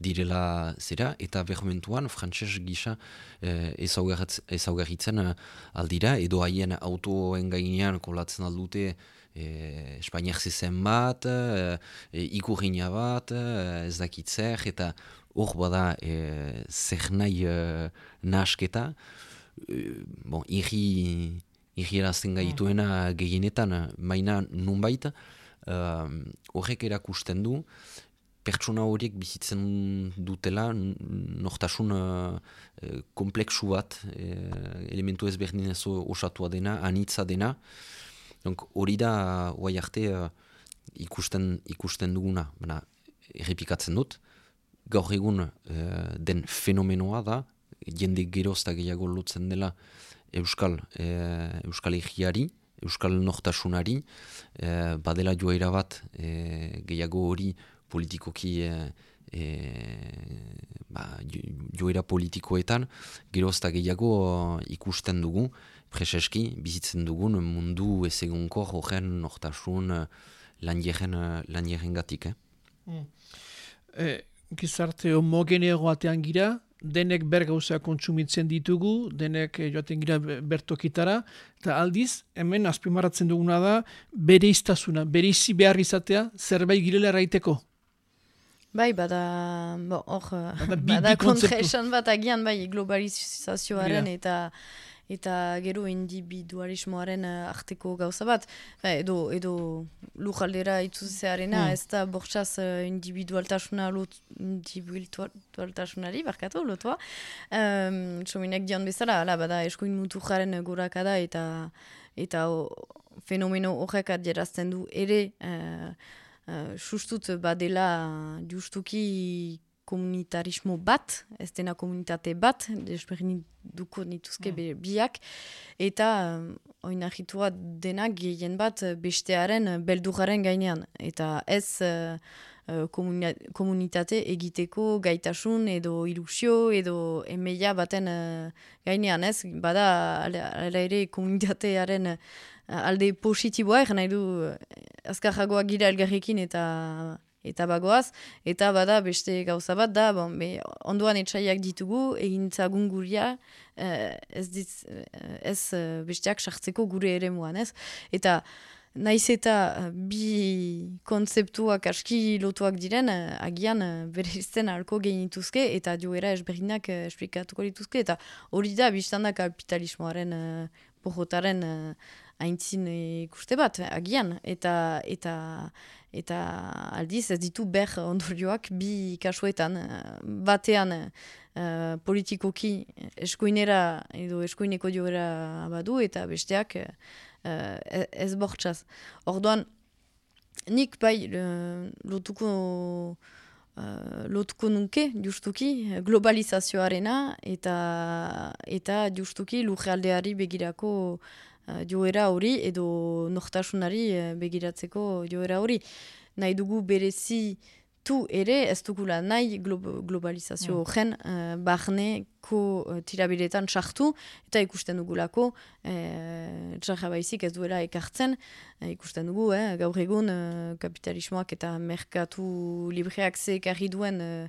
direla zera, eta bermentuan frantses gisa e, ezaugarritzen e, aldira, edo haien autoen gainean kolatzen aldute e, Espainiak zezen bat, e, e, ikurriña bat, e, ez dakitzer, eta hor bada e, zer nahi e, nahasketa, e, bon, irri, irri erazten gaituena gehienetan, maina nunbait, horrek uh, erakusten du, pertsona horiek bizitzen dutela nortasun uh, kompleksu bat, uh, elementu ezberdinez osatua dena, anitza dena. Donc, hori da, oai arte, uh, ikusten, ikusten duguna, baina errepikatzen dut, gaur egun uh, den fenomenoa da, jende geroz eta gehiago lotzen dela Euskal, uh, Euskal Herriari, Euskal nortasunari, uh, badela joera bat uh, gehiago hori politikoki e, e, ba, joera politikoetan geroz eta gehiago ikusten dugu, preseski bizitzen dugun mundu ezegunkor horren nortasun lanjeren gatik. Eh? Mm. E, gizarte homogeneo batean gira, denek ber gauza kontsumitzen ditugu, denek joaten gira bertokitara, eta aldiz, hemen azpimarratzen duguna da, bereiztasuna, bereizi behar izatea, zerbait girela erraiteko. Bai, bada, bo, hor, bada, bada kontraesan bat agian, bai, globalizazioaren eta eta gero individualismoaren arteko gauza bat. Ba, edo, edo lujaldera itzuzearena, mm. ez da bortxaz individualtasuna lot, individualtasunari, barkatu, lotua. Um, Txominek dion bezala, ala, bada, eskuin mutu jaren gorakada eta, eta o, fenomeno horrek adierazten du ere, uh, Uh, sustut badela justuki komunitarismo bat, ez dena komunitate bat, desberdin duko nituzke mm. biak, eta um, oinahitua dena gehien bat bestearen beldurraren gainean, eta ez uh, uh, komunitate egiteko gaitasun edo ilusio edo emeia baten uh, gainean, ez, bada ala ere komunitatearen uh, alde positiboa, egin nahi du azkarragoak gira elgarrekin eta eta bagoaz, eta bada beste gauza bat da, bon, be, ondoan etxaiak ditugu, egintzagun guria, eh, ez, diz, ez besteak sartzeko gure ere muan, ez? Eta naiz eta bi kontzeptuak aski lotuak diren, agian bereizten alko genituzke, eta joera esberdinak esplikatuko dituzke, eta hori da, biztan da kapitalismoaren, porrotaren haintzin ikuste bat, agian, eta, eta, eta aldiz ez ditu ber ondorioak bi kasuetan, batean uh, politikoki eskuinera edo eskuineko joera badu, eta besteak uh, ez bortxaz. Orduan, nik bai lotuko uh, lotuko nuke, justuki, globalizazioarena eta, eta justuki lujaldeari begirako uh, joera hori edo nortasunari uh, begiratzeko joera hori. Nahi dugu berezi tu ere ez dugula nahi glo globalizazio horren mm. uh, barneko uh, tirabiretan sartu eta ikusten dugulako uh, txarra baizik ez duela ekartzen uh, ikusten dugu eh, gaur egun uh, kapitalismoak eta merkatu libreak zekarri duen uh,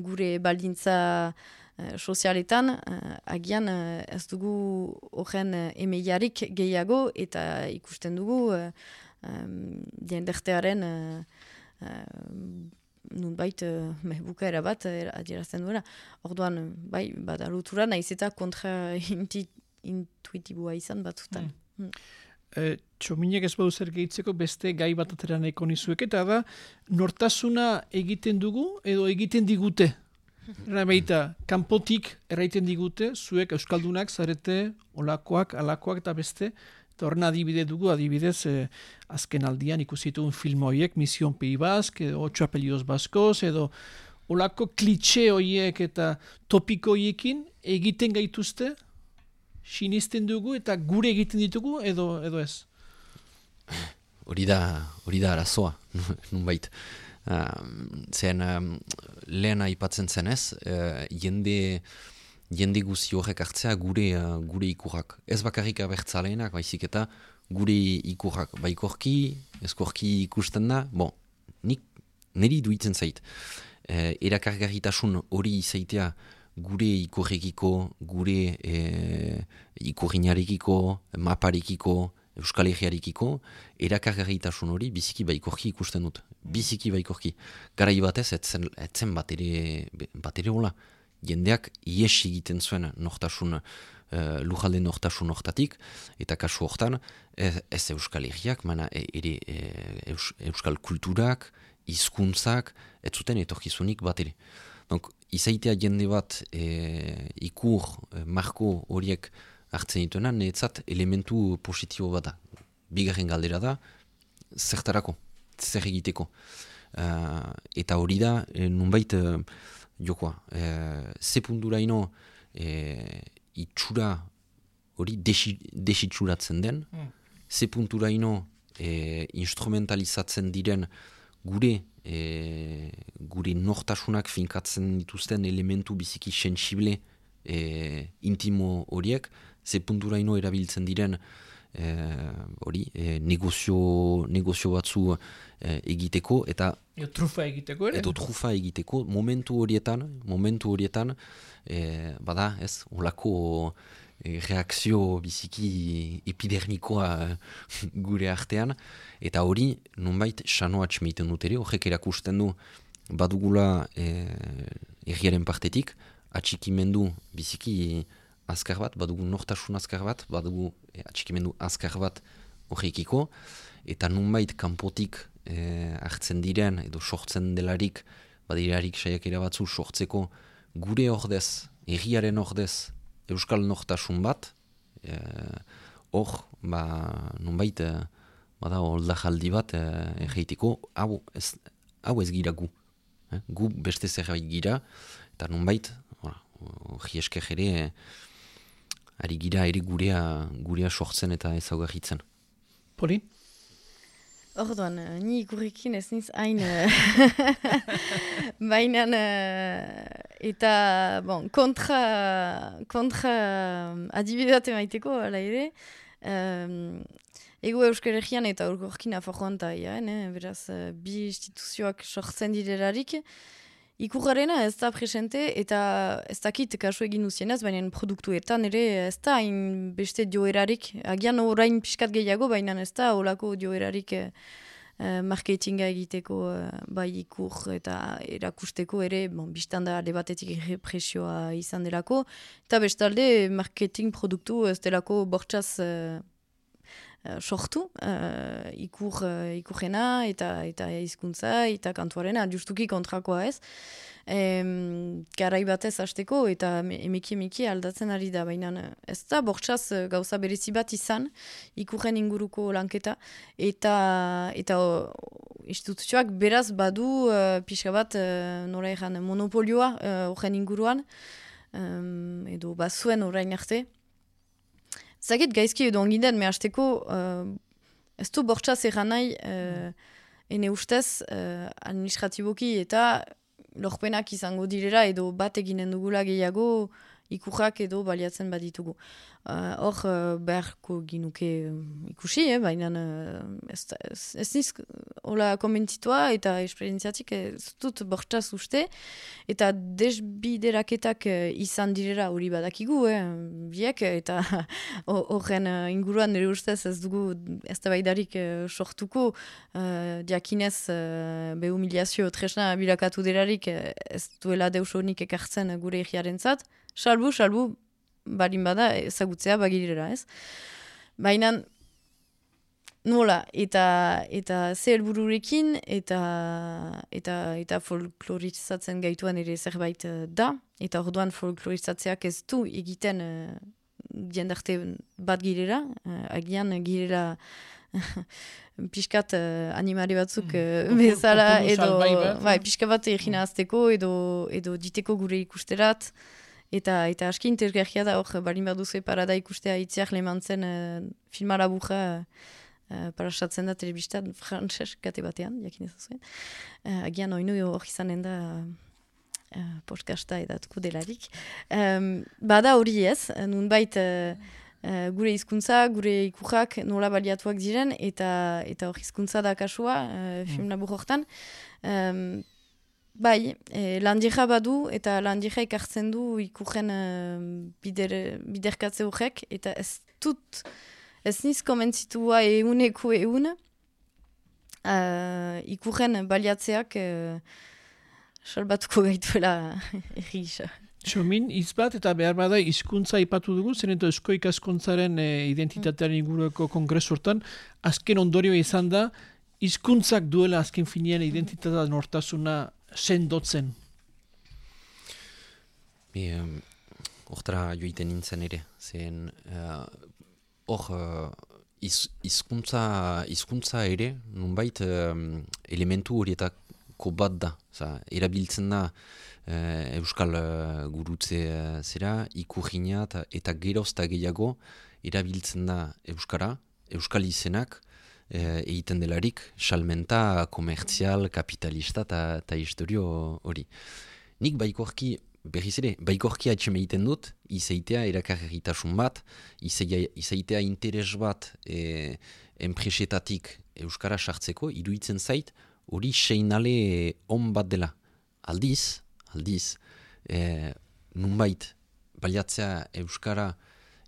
gure baldintza uh, sozialetan uh, agian uh, ez dugu horren uh, emeiarik gehiago eta ikusten dugu uh, um, diendertearen uh, uh, nunbait uh, bukaera bat uh, adierazten duela. Orduan, bai, bada lotura naiz eta kontra intuitibua izan batzutan. Mm. Mm. E, txominek ez badu zer gehitzeko beste gai bat atera nahiko nizuek, eta da, nortasuna egiten dugu edo egiten digute? Era baita, kanpotik erraiten digute, zuek euskaldunak zarete, olakoak, alakoak eta beste, eta horren adibide dugu, adibidez, eh, azken aldian ikusitu un film horiek, Mision Pei Bask, edo Ocho Apellidos Baskoz, edo olako klitxe horiek eta topiko horiekin egiten gaituzte, sinisten dugu eta gure egiten ditugu, edo, edo ez? Hori da, hori da arazoa, nunbait. Uh, zen, um, lehen aipatzen zenez, uh, jende... jende guzi horrek hartzea gure, uh, gure ikurrak. Ez bakarrik abertzaleenak, baizik eta gure ikurrak. Baikorki, ezkorki ikusten da, bon, nik niri duitzen zait. E, erakargarritasun hori izaitea gure ikurrekiko, gure e, ikurrinarekiko, maparekiko, Euskal Herriarekiko, erakargarritasun hori biziki baikorki ikusten dut. Biziki baikorki. Garai batez, etzen, etzen bat ere, bat ere hola. Jendeak ies egiten zuen nortasun, uh, lujalde nortasun hortatik, eta kasu hortan, ez, ez Euskal Herriak, mana ere e, eus, Euskal kulturak, hizkuntzak, ez zuten etorkizunik bat ere. Donc, izaitea jende bat e, ikur, e, marko horiek hartzen dituena, netzat elementu positibo bat da. Bigarren galdera da, zertarako, zer egiteko. Uh, eta hori da, e, nunbait, e, jokoa, e, ze punturaino e, itxura hori desi, desitxuratzen den, mm. ze punturaino e, instrumentalizatzen diren gure e, gure nortasunak finkatzen dituzten elementu biziki sensible e, intimo horiek, ze punturaino erabiltzen diren hori e, e, negozio, negozio batzu e, egiteko eta Edo trufa egiteko ere? Edo trufa egiteko, momentu horietan, momentu horietan, e, bada, ez, olako e, reakzio biziki epidermikoa gure artean, eta hori, nonbait, xanoa txmeiten dut ere, horrek erakusten du, badugula e, erriaren partetik, atxikimendu biziki azkar bat, badugu nortasun azkar bat, badugu e, atxikimendu azkar bat horrekiko, eta nonbait kanpotik E, hartzen diren edo sortzen delarik badirarik saiakera batzu sortzeko gure ordez, herriaren ordez euskal nortasun bat hor, e, ba, nonbait e, bada oldajaldi bat e, erreitiko, hau ez, hau ez gira gu eh? Gu beste zerbait gira eta nonbait hori esker ere e, ari gira ere gurea, gurea sortzen eta ezaugarritzen. Poli? Orduan, ni ikurrekin ez niz hain bainan eta bon, kontra, kontra adibidate maiteko, ala ere, um, ego Euskal Herrian eta urgorkin aforroan ta iaen, eh? Beraz, bi instituzioak sortzen direlarik, ikurrarena ez da presente eta ez dakit kasu egin duzienaz, baina produktuetan ere ez da hain beste joerarik, agian orain pixkat gehiago, baina ez da olako joerarik eh, marketinga egiteko eh, bai ikur eta erakusteko ere, bon, biztanda alde batetik represioa izan delako, eta bestalde marketing produktu ez delako bortxaz eh, Uh, sortu, uh, ikur, uh, ikurrena eta eta hizkuntza eta kantuarena, justuki kontrakoa ez. Um, garai batez hasteko eta emeki emeki aldatzen ari da, baina ez da bortxaz gauza berezi bat izan, ikurren inguruko lanketa, eta, eta instituzioak beraz badu uh, pixka bat uh, nora egan monopolioa horren uh, inguruan um, edo bazuen orain arte. Zagit gaizki edo onginden, me hasteko uh, ez du bortxaz egan nahi uh, ene ustez uh, administratiboki eta lorpenak izango direra edo bat eginen dugula gehiago ikurrak edo baliatzen baditugu. Hor uh, uh, beharko ginuke uh, ikusi, eh, baina uh, ez, ez, ez niz hola komentzitua eta esperientziatik ez dut bortxaz uste eta desbideraketak uh, izan direra hori badakigu, eh, biek, eta horren uh, inguruan nire ustez ez dugu ez da baidarik uh, sortuko uh, diakinez uh, behumiliazio tresna bilakatu derarik uh, ez duela deusonik ekartzen gure egiaren zat, salbu, salbu barin bada ezagutzea bagirera, ez? Baina nola, eta eta ze helbururekin eta eta eta folklorizatzen gaituan ere zerbait da, eta orduan folklorizatzeak ez du egiten uh, jendarte bat girera, uh, agian girera pixkat uh, animari batzuk uh, bezala, edo bai, pixka bat egina azteko edo, edo diteko gure ikusterat. Eta, eta aski interesgarria da, hor, balin bat duzu parada ikustea itziak lemantzen uh, filmara buja uh, parasatzen da telebistan frantses kate batean, jakin ez zuen. Uh, agian oinu hor izanen da uh, podcasta edatuko delarik. Um, bada hori ez, nunbait uh, uh, gure hizkuntza, gure ikurrak nola baliatuak diren, eta eta hor hizkuntza da kasua uh, film labur hortan. Um, Bai, eh, landieja badu eta landieja ikartzen du ikurren uh, bider, biderkatze horrek, eta ez dut, ez niz komentzitua euneko eun, uh, ikurren baliatzeak uh, salbatuko gaituela erri gisa. Txomin, izbat eta behar bada hizkuntza ipatu dugu, zen eta eusko ikaskuntzaren eh, identitatearen inguruko kongresu hortan, azken ondorio izan da, hizkuntzak duela azken finean identitatea nortasuna sendotzen. Hortara um, joiten nintzen ere, zen hor uh, hizkuntza uh, ere, nunbait um, elementu horietako bat da, za, erabiltzen da uh, euskal uh, gurutze uh, zera, ikurriña eta gerozta gehiago erabiltzen da euskara, euskal izenak, egiten delarik, salmenta, komertzial, kapitalista eta historio hori. Nik baikorki, berriz ere, baikorki atxeme egiten dut, izaitea erakarritasun bat, izaitea interes bat e, enpresetatik euskara sartzeko, iruditzen zait, hori seinale on bat dela. Aldiz, aldiz, e, nunbait, baliatzea euskara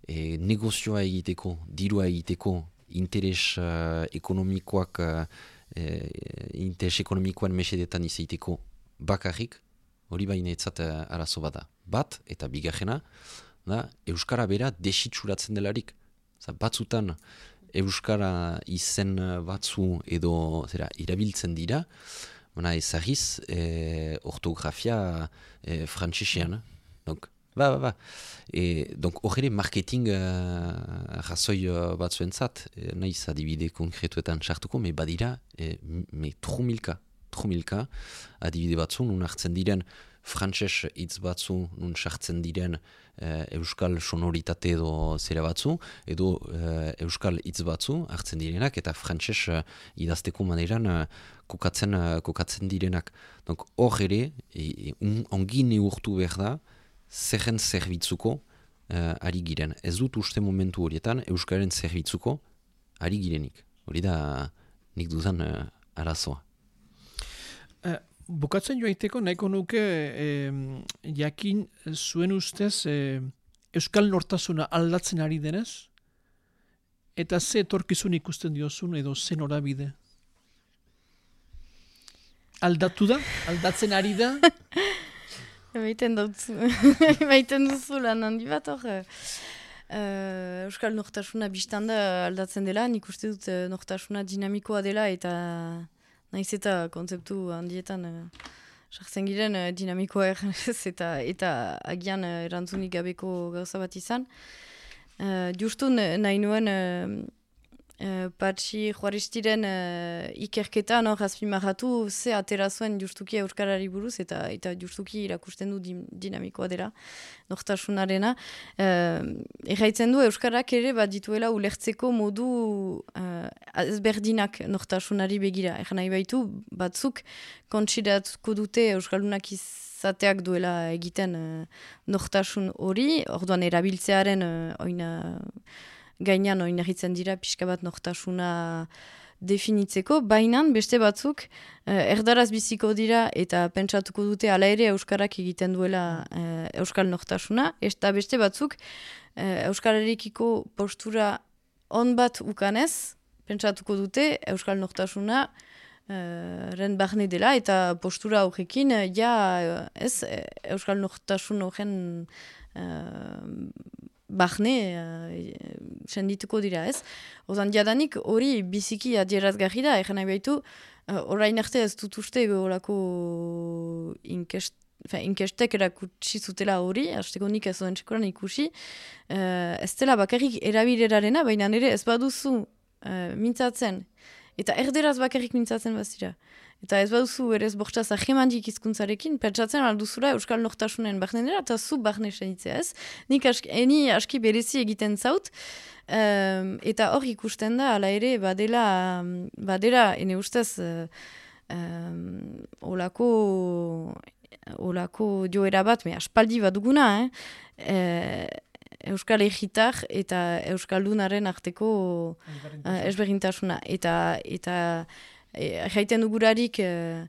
e, negozioa egiteko, dirua egiteko, interes uh, ekonomikoak uh, eh, interes ekonomikoan mesedetan izaiteko bakarrik, hori baina etzat uh, arazo bada. Bat, eta bigarrena, da, euskara bera desitsuratzen delarik. Zah, batzutan euskara izen batzu edo zera, irabiltzen dira, baina ezagiz eh, ortografia eh, frantsesean. Donc, Ba, ba, ba. E, donc, hor ere marketing uh, razoi uh, batzuentzat, e, nahiz adibide konkretuetan sartuko, me badira, e, me trumilka, trumilka, adibide batzu, nun hartzen diren frantses hitz batzu, nun sartzen diren uh, euskal sonoritate edo zera batzu, edo uh, euskal hitz batzu hartzen direnak, eta frantses uh, idazteko maneran uh, kokatzen, uh, kokatzen direnak. Donc, hor ere, e, un, ongi neurtu behar da, zerren zerbitzuko uh, ari giren. Ez dut uste momentu horietan euskaren zerbitzuko ari girenik. Hori da nik dudan uh, arazoa. Uh, bukatzen joaiteko nahiko nuke eh, jakin zuen ustez eh, euskal nortasuna aldatzen ari denez, eta ze etorkizun ikusten diozun edo ze norabide? Aldatu da? Aldatzen ari da? Baiten dut, baiten duzu lan handi bat hor. Uh, Euskal nortasuna biztanda aldatzen dela, nik uste dut uh, nortasuna dinamikoa dela eta nahiz eta kontzeptu handietan sartzen uh, giren uh, dinamikoa erranez eta, eta agian uh, erantzunik gabeko gauza bat izan. Uh, justu nahi nuen uh, Uh, Patxi Juaristiren uh, ikerketan hor azpimarratu ze atera zuen justuki euskarari buruz eta eta justuki irakusten du dim, dinamikoa dela nortasunarena. Uh, Erraitzen du euskarak ere bat dituela ulertzeko modu uh, ezberdinak nortasunari begira. Egan nahi baitu batzuk kontsidatuko dute euskaldunak izateak duela egiten uh, nortasun hori, orduan erabiltzearen uh, oina gainean oinarritzen dira pixka bat nortasuna definitzeko, baina beste batzuk eh, erdaraz biziko dira eta pentsatuko dute hala ere euskarak egiten duela eh, euskal nortasuna, eta beste batzuk eh, euskalarekiko postura on bat ukanez, pentsatuko dute euskal nortasuna eh, ren barne dela eta postura horrekin eh, ja ez euskal nortasun horren eh, Barne, uh, sendituko dira ez. Ozan, jadanik hori biziki adierazgarri da, egin nahi baitu, uh, orain arte ez dut uste olako inkest, inkestek erakutsi zutela hori, hasteko nik ez oen txekoran ikusi, uh, ez dela bakarrik erabilerarena, baina nire ez baduzu uh, mintzatzen, eta erderaz bakarrik mintzatzen bazira. Eta ez baduzu ere ez bortxaz ahemandik izkuntzarekin, pentsatzen alduzura euskal nortasunen barnenera, eta zu barne senitzea ez. Nik aski, eni aski berezi egiten zaut, um, eta hor ikusten da, ala ere, badela, badela ene ustez, uh, um, olako, olako joera bat, me aspaldi bat duguna, eh? E, Euskal egitar eta Euskaldunaren arteko uh, ezberdintasuna. Eta, eta jaiten dugurarik e,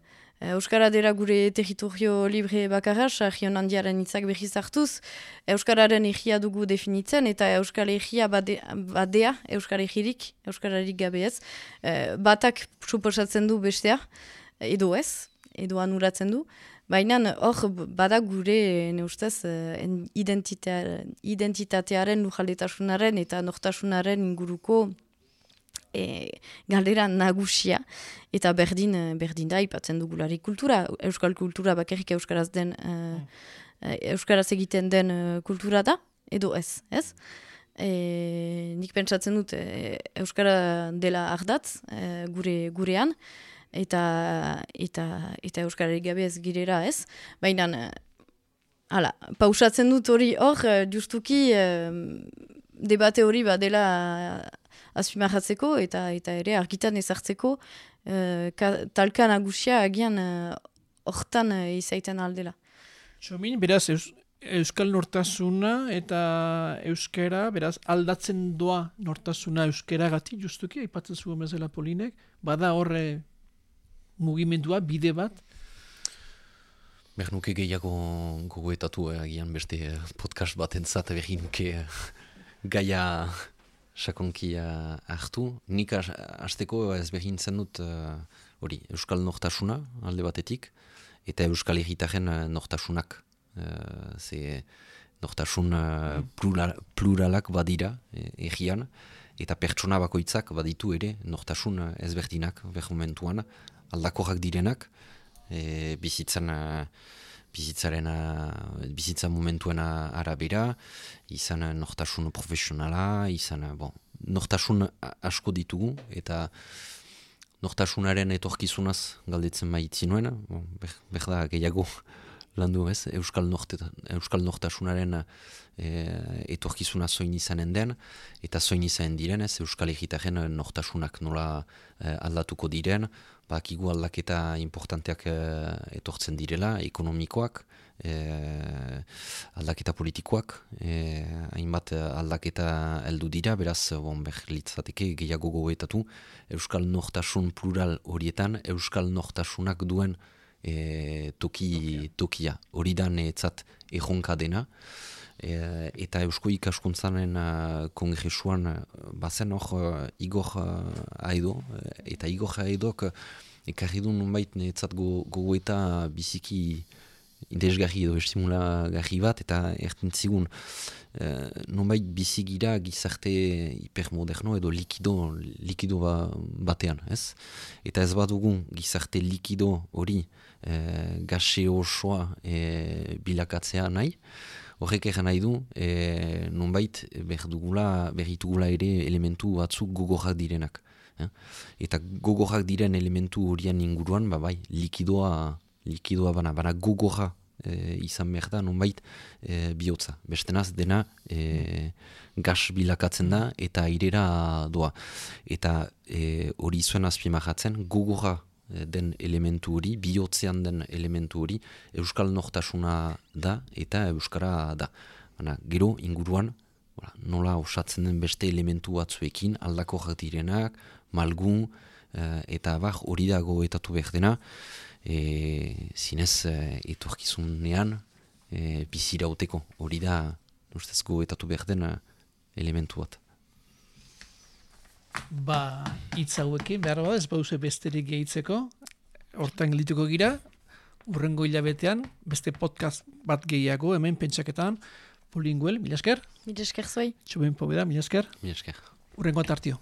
Euskara dela gure territorio libre bakarra, region handiaren hitzak behiz hartuz, Euskararen egia dugu definitzen, eta Euskal egia bade, badea, Euskal egirik, Euskararik gabe ez, e, batak suposatzen du bestea, edo ez, edo anuratzen du, baina hor bada gure neustez identitate, identitatearen lujaldetasunaren eta nortasunaren inguruko E, galdera nagusia, eta berdin, berdin da, ipatzen dugulari kultura, euskal kultura bakarrik euskaraz den, uh, euskaraz egiten den uh, kultura da, edo ez, ez? E, nik pentsatzen dut, e, euskara dela ardatz, e, gure, gurean, eta, eta, eta euskararik gabe ez girera ez, baina, hala, pausatzen dut hori hor, justuki, e, debate hori badela azpimarratzeko eta eta ere argitan ezartzeko uh, talka nagusia agian hortan uh, uh, izaiten aldela. Txomin, beraz, eus, euskal nortasuna eta euskera, beraz, aldatzen doa nortasuna euskera gati, justuki, aipatzen zuen bezala Polinek, bada horre mugimendua, bide bat? Behar nuke gehiago gogoetatu, eh, agian beste podcast bat entzat, behar nuke gaia sakonkia hartu. Nik hasteko ez behintzen dut hori uh, euskal nortasuna alde batetik, eta euskal egitaren uh, nortasunak. Uh, ze nortasun uh, plural, pluralak badira e, egian, eta pertsona bakoitzak baditu ere nortasun uh, ezberdinak behar momentuan, aldakorrak direnak, e, bizitzan... Uh, bizitzaren, bizitza momentuena arabera, izan nortasun profesionala, izan, bon, nortasun asko ditugu, eta nortasunaren etorkizunaz galdetzen baitzen nuen, bon, behar da gehiago landu ez, euskal, norte, euskal nortasunaren e, etorkizuna zoin izanen den, eta zoin izanen diren ez, euskal egitaren nortasunak nola e, aldatuko diren, bakigu aldaketa importanteak e, etortzen direla, ekonomikoak, e, aldaketa politikoak, e, hainbat aldaketa heldu dira, beraz, bon, behar litzateke gehiago gogoetatu, euskal nortasun plural horietan, euskal nortasunak duen E, toki, tokia, hori da netzat erronka dena, e, eta Eusko Ikaskuntzaren uh, kongresuan uh, bazen hor uh, Igor uh, Aido, eta Igor Aidok uh, ekarri du nunbait netzat gogoeta go biziki indesgarri edo estimulagarri bat, eta ertentzigun uh, nunbait bizigira gizarte hipermoderno edo likido, likido ba, batean, ez? Eta ez badugu gizarte likido hori E, gase osoa e, bilakatzea nahi, Horrek egin nahi du, e, nonbait berdugula, berritugula ere elementu batzuk gogorrak direnak. Eh? Eta gogorrak diren elementu horien inguruan, ba, bai, likidoa, likidoa bana, bana gogorra e, izan behar da, nonbait e, bihotza. Bestenaz dena e, gas bilakatzen da eta airera doa. Eta e, hori zuen azpimarratzen, gogorra den elementu hori, bihotzean den elementu hori, euskal nortasuna da eta euskara da. Baina, gero inguruan, Voilà, nola osatzen den beste elementu batzuekin, aldako direnak, malgun, eh, eta bar hori dago etatu behar dena, e, zinez e, etorkizunean e, bizirauteko. Hori da, ustezko etatu behar den elementu bat. Ba, hitz hauekin, behar bat, ez bauze besterik gehitzeko, hortan gelituko gira, urrengo hilabetean, beste podcast bat gehiago, hemen pentsaketan, Polinguel, mila esker. Mila esker zuei. Txuben pobeda, mila esker. Mila esker. Urrengo atartio.